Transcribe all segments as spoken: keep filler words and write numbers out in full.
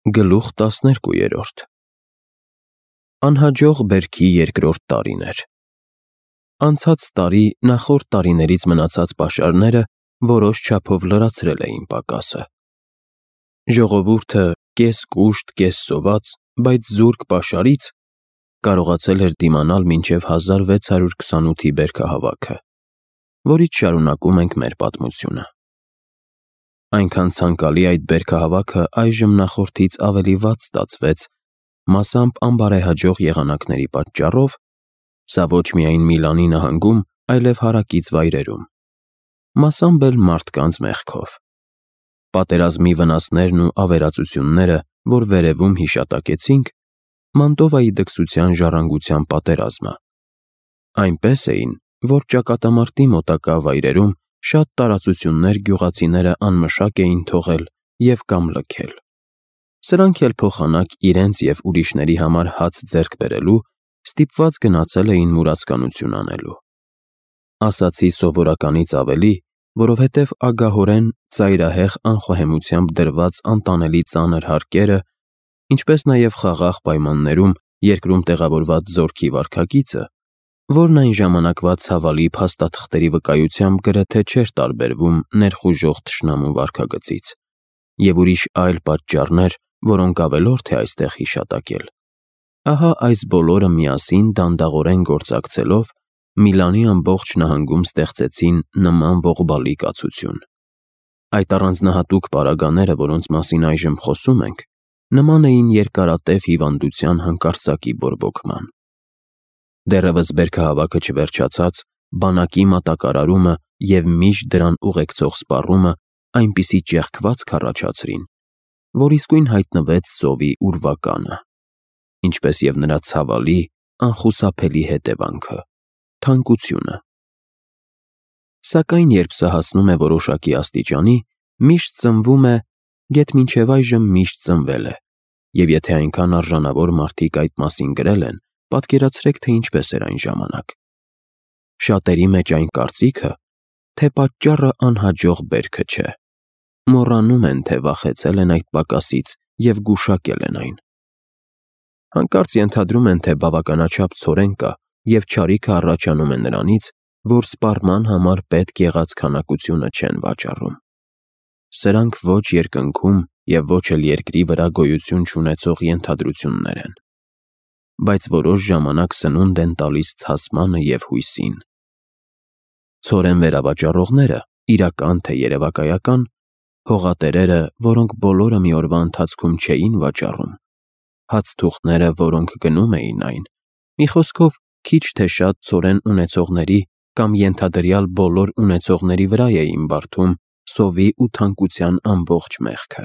Գլուխ տասներկուերորդ Անհաջող բերքի երկրորդ տարին էր։ Անցած տարի նախորդ տարիներից մնացած պաշարները որոշ չափով լրացրել էին պակասը։ Ժողովուրդը կես կուշտ, կես սոված, բայց զուրկ պաշարից կարողացել էր դիմանալ մինչև հազար վեց հարյուր քսանութի բերքահավաքը, որից շարունակում ենք մեր պատմությունը։ Այնքան ցանկալի այդ բերքահավաքը այժմ նախորդից ավելի վատ ստացվեց, մասամբ անբարեհաջող եղանակների պատճառով, սա ոչ միայն Միլանի նահանգում, այլև հարակից վայրերում, մասամբ էլ մարդկանց մեղքով։ Պատերազմի վնասներն ու ավերածությունները, որ վերևում հիշատակեցինք, Մանտովայի դքսության ժառանգության պատերազմը, այնպես էին, որ ճակատամարտի մոտակա վայրերում շատ տարածություններ գյուղացիները անմշակ էին թողել և կամ լքել։ Սրանք էլ փոխանակ իրենց և ուրիշների համար հաց ձեռք բերելու ստիպված գնացել էին մուրացկանություն անելու։ Ասացի սովորականից ավելի, որովհետև ագահորեն ծայրահեղ անխոհեմությամբ դրված անտանելի ծանր հարկերը, ինչպես նաև խաղաղ պայմաններում երկրում տեղավորված զորքի վարքագիծը, որն այն ժամանակվա ցավալի փաստաթղթերի վկայությամբ գրեթե չէր տարբերվում ներխուժող թշնամու վարքագծից, և ուրիշ այլ պատճառներ, որոնք ավելորդ է այստեղ հիշատակել։ Ահա այս բոլորը միասին դանդաղորեն գործակցելով Միլանի ամբողջ նահանգում ստեղծեցին նման ողբալի կացություն։ Այդ առանձնահատուկ պարագաները, որոնց մասին այժմ խոսում ենք, նման էին երկարատև հիվանդության հանկարծակի բորբոքման։ Դեռևս բերքահավաքը չվերջացած, բանակի մատակարարումը և միշտ դրան ուղեկցող սպառումը այնպիսի ճեղքվածք առաջացրին, որ իսկույն հայտնվեց սովի ուրվականը, ինչպես և նրա ցավալի, անխուսափելի հետևանքը՝ թանկությունը։ Սակայն երբ սա հասնում է որոշակի աստիճանի, միշտ ծնվում է, գեթ մինչև այժմ միշտ ծնվել է, և եթե այնքան արժանավոր մարդիկ այդ մասին գրել են, պատկերացրեք, թե ինչպես էր այն ժամանակ։ Շատերի մեջ այն կարծիքը, թե պատճառը անհաջող բերքը չէ, մոռանում են, թե վախեցել են այդ պակասից և գուշակել են այն։ Հանկարծ ենթադրում են, թե բավականաչափ ցորեն կա և չարիքը առաջանում է նրանից, որ սպառման համար պետք եղած քանակությունը չեն վաճառում։ Սրանք ոչ երկնքում և ոչ էլ երկրի վրա գոյություն չունեցող ենթադրություններ են, բայց որոշ ժամանակ սնունդ են տալիս ցասմանը և հույսին։ Ցորեն վերավաճառողները, իրական թե երևակայական, հողատերերը, որոնք բոլորը մի օրվա ընթացքում չէին վաճառում, հացթուղթները, որոնք գնում էին այն, մի խոսքով, քիչ թե շատ ցորեն ունեցողների կամ ենթադրյալ բոլոր ունեցողների վրա էին բարդում սովի ու թանկության ամբողջ մեղքը։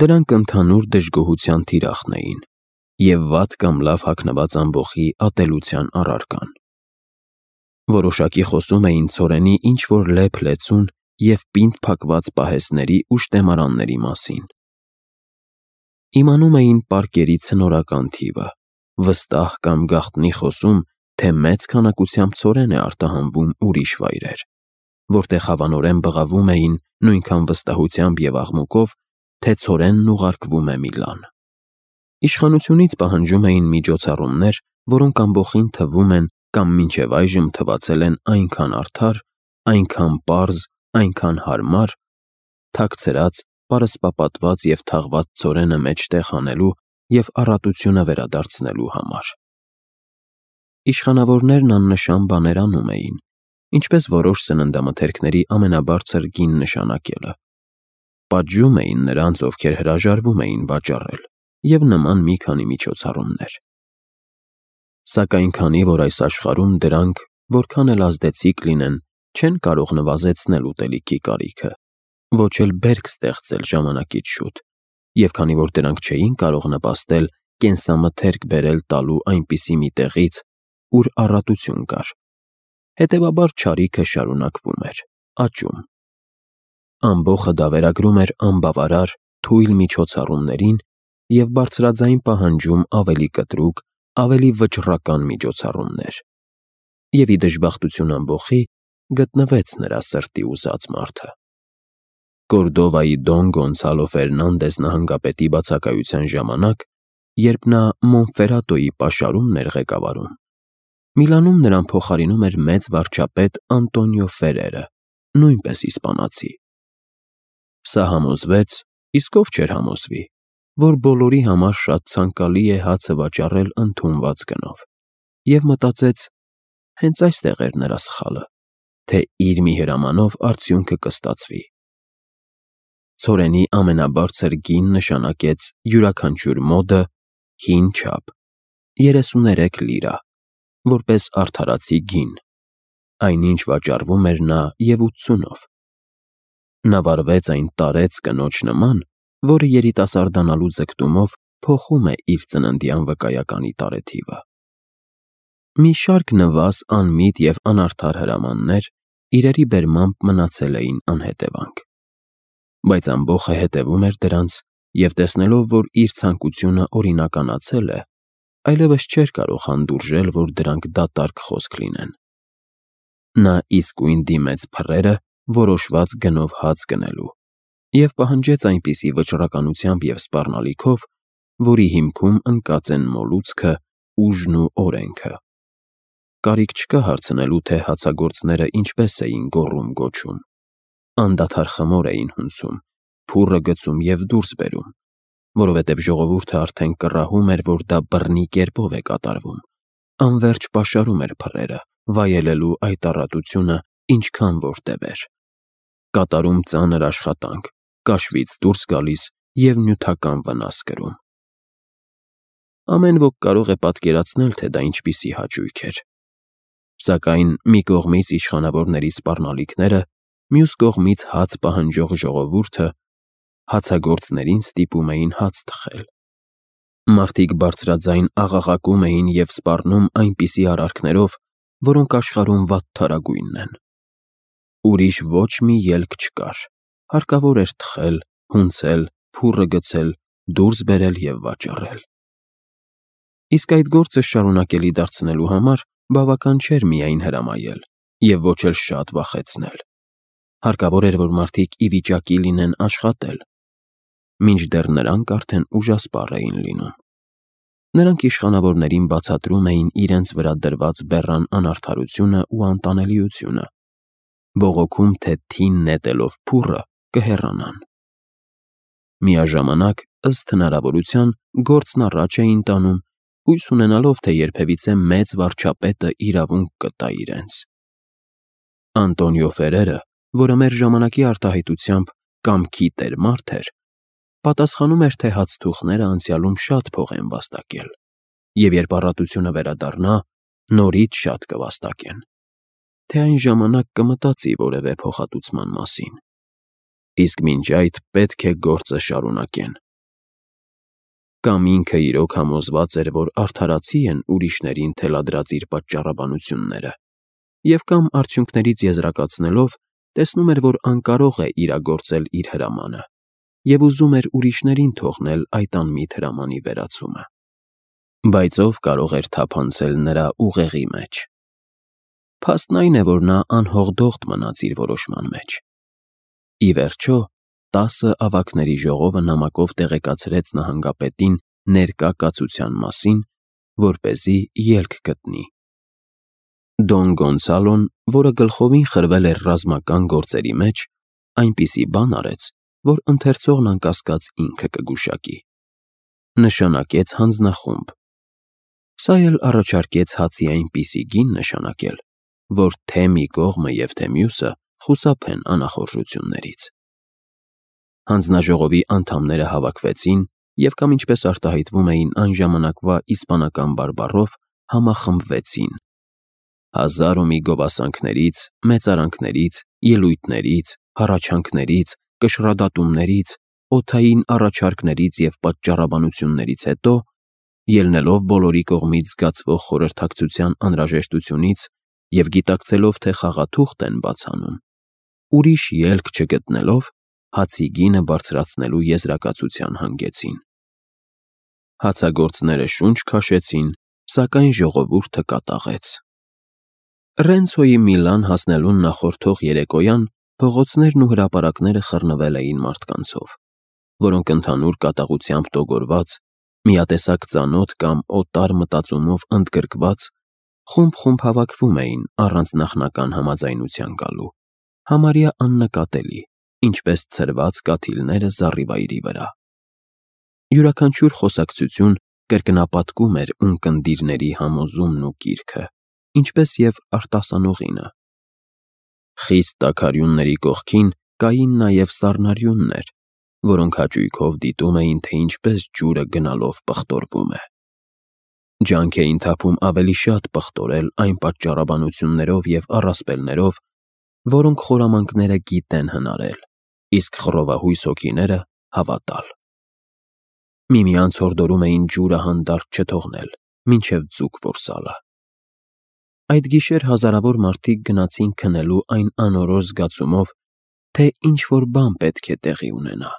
Դրանք ընդհանուր դժգոհության թիրախն էին և վատ կամ լավ հագնված ամբոխի ատելության առարկան։ Որոշակի խոսում էին ցորենի ինչ-որ լեփ-լեցուն և պինդ փակված պահեստների ու շտեմարանների մասին։ Իմանում էին պարկերի ցնորական թիվը, վստահ կամ գաղտնի խոսում, թե մեծ քանակությամբ ցորեն է արտահանվում ուրիշ վայրեր, որտեղ հավանորեն բղավում էին նույնքան վստահությամբ և աղմուկով, թե ցորենն ուղարկվում է Միլան։ Իշխանությունից պահանջում էին միջոցառումներ, որոնք ամբոխին թվում են կամ մինչև այժմ թվացել են այնքան արդար, այնքան պարզ, այնքան հարմար, թաքցրած, պարսպապատված և թաղված ցորենը մեջտեղ հանելու և առատությունը վերադարձնելու համար։ Իշխանավորներն աննշան բաներ անում էին, ինչպես որոշ սննդամթերքների ամենաբարձր գին նշանակելը։ Պատժում էին նրանց, ովքեր հրաժարվում էին վաճառել, և նման մի քանի միջոցառումներ։ Սակայն քանի որ այս աշխարհում դրանք, որքան էլ ազդեցիկ լինեն, չեն կարող նվազեցնել ուտելիքի կարիքը, ոչ էլ բերք ստեղծել ժամանակից շուտ, և քանի որ դրանք չէին կարող նպաստել կենսամթերք բերել տալու այնպիսի մի տեղից, ուր առատություն կար, հետևաբար չարիքը շարունակվում էր, աճում։ Ամբոխը դավերագրում էր անբավարար, թույլ միջոցառումներին և բարձրաձայն պահանջում ավելի կտրուկ, ավելի վճռական միջոցառումներ։ Եվ ի դժբախտություն ամբոխի գտնվեց նրա սրտի ուզած մարդը։ Կորդովայի Դոն Գոնսալո Ֆերնանդես նահանգապետի բացակայության ժամանակ, երբ նա Մոնֆերատոյի պաշարումն էր ղեկավարում, Միլանում նրան փոխարինում էր մեծ վարչապետ Անտոնիո Ֆերերը, նույնպես իսպանացի։ Սա համոզվեց, իսկ ով չէր համոզվի, որ բոլորի համար շատ ցանկալի է հացը վաճառել ընդունված գնով, և մտածեց, հենց այստեղ էր նրա սխալը, թե իր մի հրամանով արդյունքը կստացվի։ Ցորենի ամենաբարձր գին նշանակեց յուրաքանչյուր մոդը հին չափ, երեսուներեք լիրա, որպես արդարացի գին, այնինչ վաճառվում էր նա և ութսունով։ Նա վարվեց այն տարեց կնոջ նման, որը երիտասարդանալու ձգտումով փոխում է իր ծննդյան վկայականի տարեթիվը։ Մի շարք նվազ անմիտ և անարդար հրամաններ իրերի բերմամբ մնացել էին անհետևանք, բայց ամբոխը հետևում էր դրանց և տեսնելով, որ իր ցանկությունը օրինականացել է, այլևս չէր կարող հանդուրժել, որ դրանք դատարկ խոսք լինեն։ Նա իսկույն դիմեց փռերը որոշված գնով հաց գնելու և պահանջեց այնպիսի վճռականությամբ և սպառնալիքով, որի հիմքում ընկած են մոլուցքը, ուժն ու օրենքը։ Կարիք չկա հարցնելու, թե հացագործները ինչպես էին գոռում-գոչում, անդադար խմոր էին հունցում, փուռը գցում և դուրս բերում, որովհետև ժողովուրդը արդեն կռահում էր, որ դա բռնի կերպով է կատարվում, անվերջ պաշարում էր փռերը, վայելելու այդ առատությունը ինչքան որ տևեր, կատարում ծանր աշխատանք, կաշվից դուրս գալիս և նյութական վնաս կրում։ Ամեն ոք կարող է պատկերացնել, թե դա ինչպիսի հաճույք էր։ Սակայն մի կողմից իշխանավորների սպառնալիքները, մյուս կողմից հաց պահանջող ժողովուրդը հացագործներին ստիպում էին հաց թխել։ Մարդիկ բարձրաձայն աղաղակում էին և սպառնում այնպիսի արարքներով, որոնք աշխարհում վատթարագույնն են։ Ուրիշ ոչ մի ելք չկար, հարկավոր էր թխել, հունցել, փուռը գցել, դուրս բերել և վաճառել։ Իսկ այդ գործը շարունակելի դարձնելու համար բավական չէր միայն հրամայել և ոչ էլ շատ վախեցնել։ Հարկավոր էր, որ մարդիկ ի վիճակի լինեն աշխատել, մինչդեռ նրանք արդեն ուժասպառ էին լինում։ Նրանք իշխանավորներին բացատրում էին իրենց վրա դրված բեռան անարդարությունը ու անտանելիությունը, բողոքում, թե թին նետելով փուռը կհեռանան։ Միաժամանակ, ըստ հնարավորության, գործն առաջ էին տանում, հույս ունենալով, թե երբևիցե մեծ վարչապետը իրավունք կտա իրենց։ Անտոնիո Ֆերերը, որը մեր ժամանակի արտահայտությամբ «կամքի տեր» մարդ էր, պատասխանում էր, թե հացթուխները անցյալում շատ փող են վաստակել, և երբ առատությունը վերադառնա, նորից շատ կվաստակեն, թե այն ժամանակ կմտածի որևէ փոխհատուցման մասին, իսկ մինչ այդ պետք է գործը շարունակեն։ Կամ ինքը իրոք համոզված էր, որ արդարացի են ուրիշներին թելադրած իր պատճառաբանությունները, և կամ արդյունքներից եզրակացնելով, տեսնում էր, որ անկարող է իրագործել իր հրամանը, և ուզում էր ուրիշներին թողնել այդ անմիտ հրամանի վերացումը։ Բայց ով կարող էր թափանցել նրա ուղեղի մեջ։ Փաստն այն է, որ նա անհողդողդ մնաց իր որոշման մեջ։ Ի վերջո, տասը ավագների ժողովը նամակով տեղեկացրեց նահանգապետին ներկա կացության մասին, որպեսզի ելք գտնի։ Դոն Գոնսալոն, որը գլխովին խրվել էր ռազմական գործերի մեջ, այնպիսի բան արեց, որ ընթերցողն անկասկած ինքը կգուշակի։ Նշանակեց հանձնախումբ։ Սա էլ առաջարկեց հացի այնպիսի գին նշանակել, որ թե մի կողմը և թե մյուսը խուսափեն անախորժություններից։ Հանձնաժողովի անդամները հավաքվեցին և կամ ինչպես արտահայտվում էին այն ժամանակվա իսպանական բարբառով, համախմբվեցին։ Հազար ու մի գովասանքներից, մեծարանքներից, ելույթներից, հառաչանքներից, կշռադատումներից, օդային առաջարկներից և պատճառաբանություններից հետո, ելնելով բոլորի կողմից զգացվող խորհրդակցության անհրաժեշտությունից և գիտակցելով, թե խաղաթուղթ են բաց անում, ուրիշ ելք չգտնելով, հացի գինը բարձրացնելու եզրակացության հանգեցին։ Հացագործները շունչ քաշեցին, սակայն ժողովուրդը կատաղեց։ Ռենցոյի Միլան հասնելուն նախորդող երեկոյան Փողոցներն ու հրապարակները խռնվել էին մարդկանցով, որոնք ընդհանուր կատաղությամբ տոգորված, միատեսակ ծանոթ կամ օտար մտածումով ընդգրկված, խումբ-խումբ հավաքվում էին առանց նախնական համաձայնության գալու, համարյա աննկատելի, ինչպես ցրված կաթիլները զառիվայրի վրա։ Յուրաքանչյուր խոսակցություն կրկնապատկում էր ունկնդիրների համոզումն ու կիրքը, ինչպես և արտասանողինը։ Խիստ տաքարյունների կողքին կային նաև սառնարյուններ, որոնք հաճույքով դիտում էին, թե ինչպես ջուրը գնալով պղտորվում է։ Ջանք էին թափում ավելի շատ պղտորել այն պատճառաբանություններով և առասպելներով, որոնք խորամանկները գիտեն հնարել, իսկ խռովահույս հոգիները հավատալ։ Միմյանց հորդորում էին ջուրը հանդարտ չթողնել, մինչև ձուկ որսալը։ Այդ գիշեր հազարավոր մարդիկ գնացին քնելու այն անորոշ զգացումով, թե ինչ-որ բան պետք է տեղի ունենա։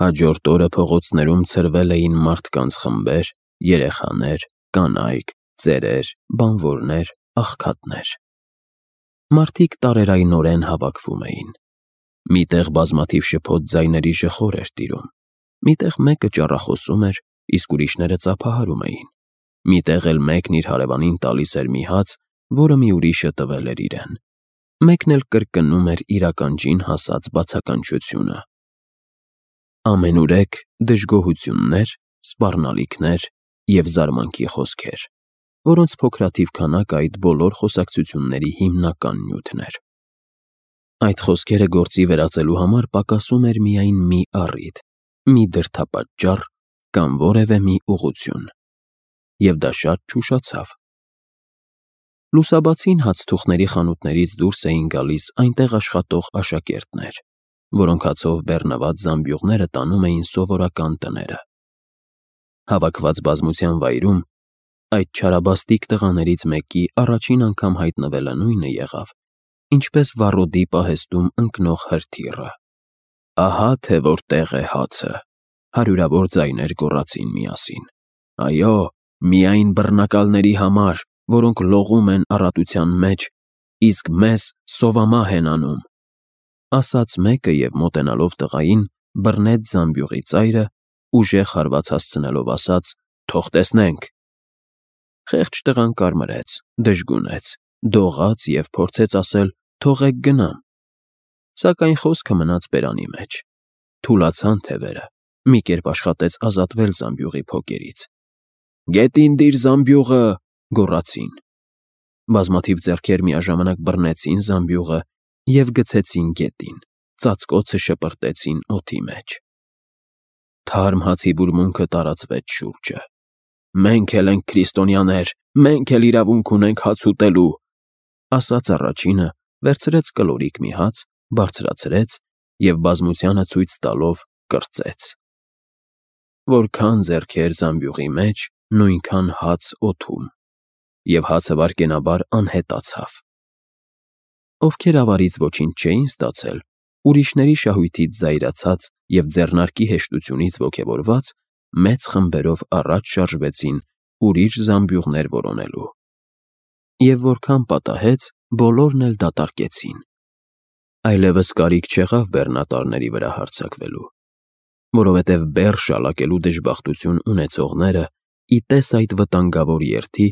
Հաջորդ օրը փողոցներում ցրվել էին մարդկանց խմբեր, երեխաներ, կանայք, ծերեր, բանվորներ, աղքատներ։ Մարդիկ տարերայնորեն հավաքվում էին։ Միտեղ բազմաթիվ շփոթ ձայների ժխոր էր տիրում, միտեղ մեկը ճառախոսում էր, իսկ ուրիշները ծափահարում էին, միտեղ էլ մեկն իր հարևանին տալիս էր մի հաց, որը մի ուրիշը տվել էր իրեն, մեկն էլ կրկնում էր իր ականջին հասած բացականչությունը։ Ամենուրեք դժգոհություններ, սպառնալիքներ և զարմանքի խոսքեր, որոնց փոքրաթիվ քանակը այդ բոլոր խոսակցությունների հիմնական նյութն էր։ Այդ խոսքերը գործի վերածելու համար պակասում էր միայն մի առիթ, մի դրդապատճառ կամ որևէ մի ուղղություն, և դա շատ չուշացավ։ Լուսաբացին հացթուխների խանութներից դուրս էին գալիս այնտեղ աշխատող աշակերտներ, որոնք հացով բեռնված զամբյուղները տանում էին սովորական տները։ Հավաքված բազմության վայրում այդ չարաբաստիկ տղաներից մեկի առաջին անգամ հայտնվելը նույնը եղավ, ինչպես վառոդի պահեստում ընկնող հրթիռը։ «Ահա թե որտեղ է հացը», հարյուրավոր ձայներ գոռացին միասին։ «Այո, միայն բռնակալների համար, որոնք լողում են առատության մեջ, իսկ մեզ սովամահ են անում», ասաց մեկը և մոտենալով տղային, բռնեց զամբյուղի ծայրը, ուժեղ հարված հասցնելով ասաց. «Թող տեսնենք»։ Խեղճ տղան կարմրեց, դժգունեց, դողաց և փորձեց ասել. «Թողեք գնամ»։ Սակայն խոսքը մնաց բերանի մեջ։ Թուլացան թևերը, մի կերպ աշխատեց ազատվել զամբյուղի փոկերից։ «Գետին դիր զամբյուղը», գոռացին։ Բազմաթիվ ձեռքեր միաժամանակ բռնեցին զամբյուղը և գցեցին գետին, ծածկոցը շպրտեցին օդի մեջ։ Թարմ հացի բուրմունքը տարածվեց շուրջը։ «Մենք էլ ենք քրիստոնյաներ, մենք էլ իրավունք ունենք հաց ուտելու», ասաց առաջինը, վերցրեց կլորիկ մի հաց, բարձրացրեց և բազմությանը ցույց տալով կրծեց։ Որքան ձեռքեր զամբյուղի մեջ, նույնքան հաց օդում, և հացը վայրկենաբար անհետացավ։ Ովքեր ավարից ոչինչ չէին ստացել, ուրիշների շահույթից զայրացած և ձեռնարկի հեշտությունից ոգևորված, մեծ խմբերով առաջ շարժվեցին ուրիշ զամբյուղներ որոնելու։ Եվ որքան պատահեց, բոլորն էլ դատարկեցին։ Այլևս կարիք չեղավ բեռնատարների վրա հարձակվելու, որովհետև բեռ շալակելու դժբախտություն ունեցողները, ի տես այդ վտանգավոր երթի,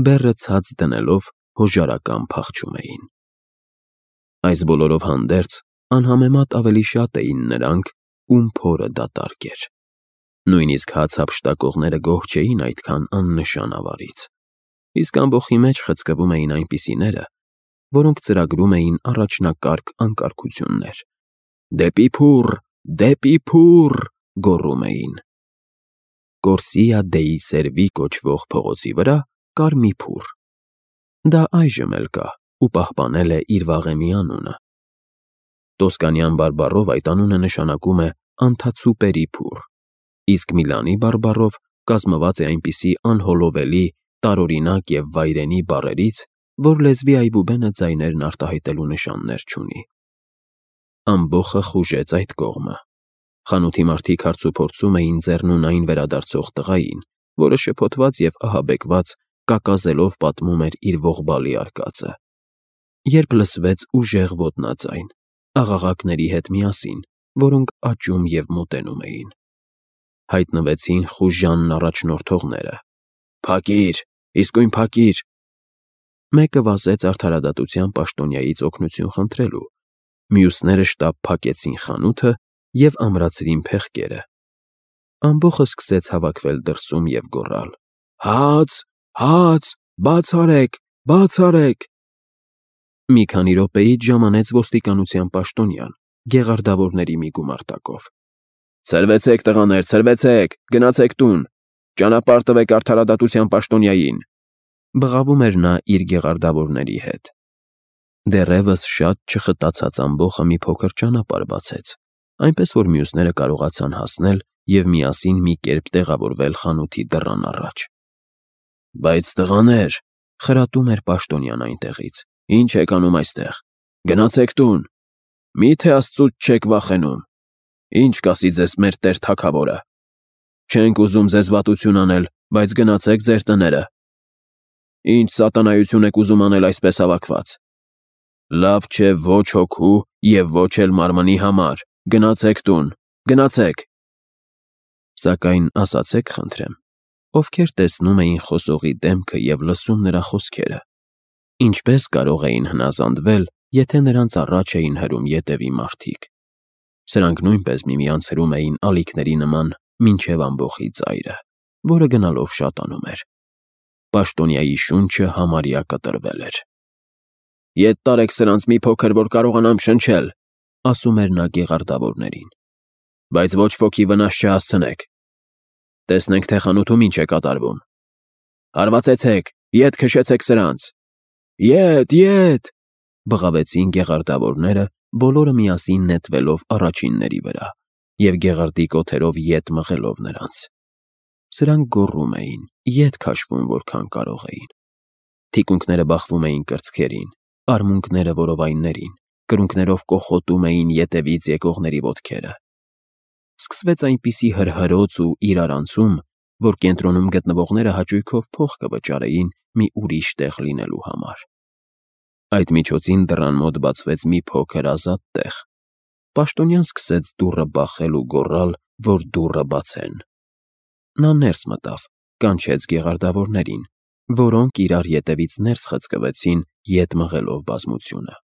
բեռը ցած դնելով հոժարական փախչում էին։ Այս բոլորով հանդերձ, անհամեմատ ավելի շատ էին նրանք, ում փորը դատարկ էր։ Նույնիսկ հաց հափշտակողները գոհ չէին այդքան աննշան ավարից, իսկ ամբոխի մեջ խցկվում էին այնպիսիները, որոնք ծրագրում էին առաջնակարգ անկարգություններ։ «Դեպի փուռ, դեպի փուռ», գոռում էին։ Կորսիա դեի Սերվի կոչվող փողոցի վրա կար մի փուռ։ Դա այժմ էլ կա ու պահպանել է իր վաղեմի անունը։ Տոսկանյան բարբառով այդ անունը նշանակում է «անթացուպերի փուռ», իսկ Միլանի բարբառով կազմված է այնպիսի անհոլովելի, տարօրինակ և վայրենի բառերից, որ լեզվի այբուբենը ձայներն արտահայտելու նշաններ չունի։ Ամբոխը խուժեց այդ կողմը։ Խանութի մարդիկ հարցուփորձում էին ձեռնունայն վերադարձող տղային, որը շփոթված և ահաբեկված, կակազելով պատմում էր իր ողբալի արկածը։ երբ լսվեց ուժեղ ոտնաձայն, աղաղակների հետ միասին, որոնք աճում և մոտենում էին։ Հայտնվեցին խուժանն առաջնորդողները։ «Փակի՛ր, իսկույն փակի՛ր»։ Մեկը վազեց արդարադատության պաշտոնյայից օգնություն խնդրելու, մյուսները շտապ փակեցին խանութը և ամրացրին փեղկերը։ Ամբոխը սկսեց հավաքվել դրսում և գոռալ. «Հաց, հաց, բաց արեք, բաց արեք»։ Մի քանի րոպեից ժամանեց ոստիկանության պաշտոնյան, գեղարդավորների մի գումարտակով։ «Ցրվեցեք, տղաներ, ցրվեցեք, գնացեք տուն, ճանապարհ տվեք արդարադատության պաշտոնյային», բղավում էր նա իր գեղարդավորների հետ։ Դեռևս շատ չխտացած ամբոխը մի փոքր ճանապարհ բացեց, այնպես որ մյուսները կարողացան հասնել և միասին մի կերպ տեղավորվել խանութի դռան առաջ։ «Բայց, տղաներ», խրատում էր պաշտոնյան այնտեղից, «ի՞նչ եք անում այստեղ, գնացեք տուն, մի՞թե աստծուց չեք վախենում, ի՞նչ կասի ձեզ մեր տեր թագավորը։ Չենք ուզում ձեզ վատություն անել, բայց գնացեք ձեր տները։ Ի՞նչ սատանայություն եք ուզում անել այսպես հավաքված։ Լավ չէ ոչ հոգու և ոչ էլ մարմնի համար, գնացեք տուն, գնացեք»։ Սակայն ասացեք խնդրեմ, ովքեր տեսնում էին խոսողի դեմքը և լսում նրա խոսքերը, ինչպե՞ս կարող էին հնազանդվել, եթե նրանց առաջ էին հրում ետևի մարդիկ։ Սրանք նույնպես միմյանց հրում էին ալիքների նման մինչև ամբոխի ծայրը, որը գնալով շատանում էր։ Պաշտոնյայի շունչը համարյա կտրվել էր։ «Ետ տարեք սրանց մի փոքր, որ կարողանամ շնչել», ասում էր նա գեղարդավորներին, «բայց ոչ ոքի վնաս չհասցնեք։ Տեսնենք, թե խանութում ինչ է կատարվում։ Հարվածեցեք, ետ քշեցեք սրանց։ Ետ, ետ», բղավեցին գեղարդավորները, բոլորը միասին նետվելով առաջինների վրա և գեղարդի կոթերով ետ մղելով նրանց։ Սրանք գոռում էին, ետ քաշվում որքան կարող էին։ Թիկունքները բախվում էին կրծքերին, արմունկները որովայններին, կրունկներով կոխոտում էին ետևից եկողների ոտքերը։ Սկսվեց այնպիսի հրհրոց ու իրարանցում, որ կենտրոնում գտնվողները հաճույքով փող կվճարեին մի ուրիշ տեղ լինելու համար։ Այդ միջոցին դռան մոտ բացվեց մի փոքր ազատ տեղ։ Պաշտոնյան սկսեց դուռը բախել ու գոռալ, որ դուռը բացեն։ Նա ներս մտավ, կանչեց գեղարդավորներին, որոնք իրար ետևից ներս խցկվեցին, ետ մղելով բազմությունը։